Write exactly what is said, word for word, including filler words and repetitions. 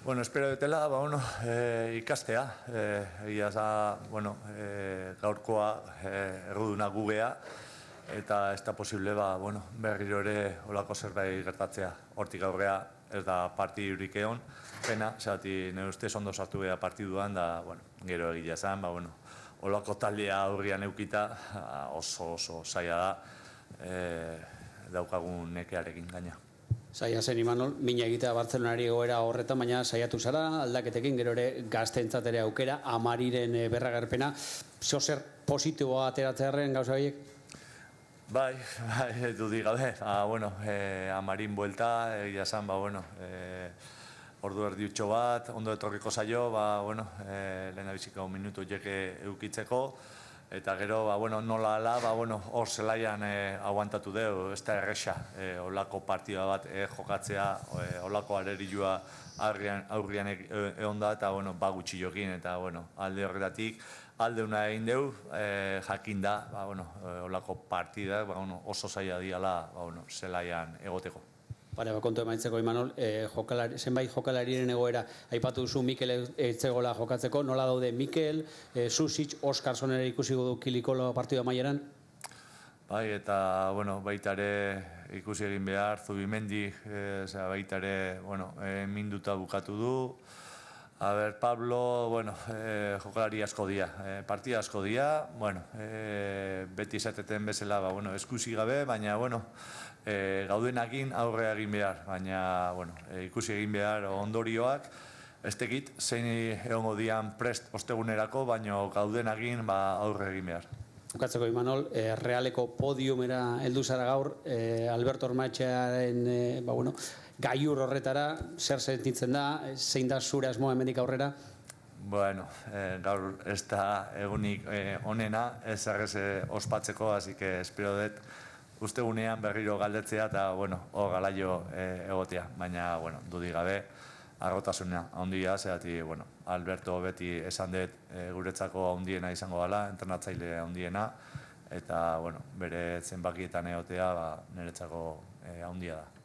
Bueno, espero dutela, ba, bueno, e, ikastea, egia za, bueno, e, gaurkoa e, erruduna gugea, eta ez da posible, ba, bueno, berriro ere olako zerbait gertatzea. Hortik aurrea ez da partidurik egon, pena, zati nire ustez ondo sartu beha partiduan, da, bueno, gero egia zan, ba, bueno, olako taldea aurrian eukita, oso oso zaila da, e, daukagun nekearekin gaina. Zaila zen, Imanol, mina egitea Bartzelonari egoera horretan, baina saiatu zara, aldaketekin, gero ere gazteentzat ere aukera, Amariren berragerpena, zozer positiboa ateratzearen gauza horiek? Bai, bai, dudik gabe, ah, bueno, eh, Amarin buelta, egia zan, ba, bueno, eh, ordu erdiutxo bat, ondo etorriko zaio, ba, bueno, eh, lehen abizika un minutu jeke eukitzeko, eta gero, ba, bueno, nola ala, ba, bueno, hor zelaian eh, aguantatu deu, ez da erresa, eh, olako partida bat eh, jokatzea, eh, olako arerilua aurrian, aurrian egon da, eta, bueno, ba gutxi jokin, eta, bueno, alde horretatik, alde una egin deu, eh, jakin da, ba, bueno, eh, olako partida, ba, bueno, oso zaila diala, ba, bueno, zelaian egoteko. Pare, ba, kontu emaitzeko, Imanol, eh, jokalari, zenbait jokalarien egoera, aipatu duzu Mikel etzegola jokatzeko, nola daude Mikel, eh, Susic, Oskarson ere ikusi du Kilikolo partida maieran? Bai, eta, bueno, baita ere ikusi egin behar, Zubimendi, eh, baita ere, bueno, eh, minduta bukatu du. A ber, Pablo, bueno, eh, jokalari asko dia, eh, partida asko dia, bueno, eh, beti izateten bezala, ba, bueno, eskusi gabe, baina, bueno, eh, gaudenakin aurre egin behar, baina, bueno, eh, ikusi egin behar ondorioak, ez tekit, zein egongo dian prest ostegunerako, baina gaudenakin ba, aurre egin behar. Bukatzeko, Imanol, eh, Realeko podiumera heldu zara gaur, eh, Alberto Ormaetxearen, eh, ba, bueno, gaiur horretara, zer sentitzen da, zein da zure asmoa hemendik aurrera? Bueno, eh, gaur ez da egunik eh, onena, ez errez ospatzeko, así que espero dut ustegunean berriro galdetzea eta, bueno, hor galaio eh, egotea, baina, bueno, dudik gabe, arrotasuna handia, zehati, bueno, Alberto beti esan dut e, guretzako handiena izango dela, entrenatzaile handiena, eta, bueno, bere zenbakietan egotea, ba, niretzako e, handia da.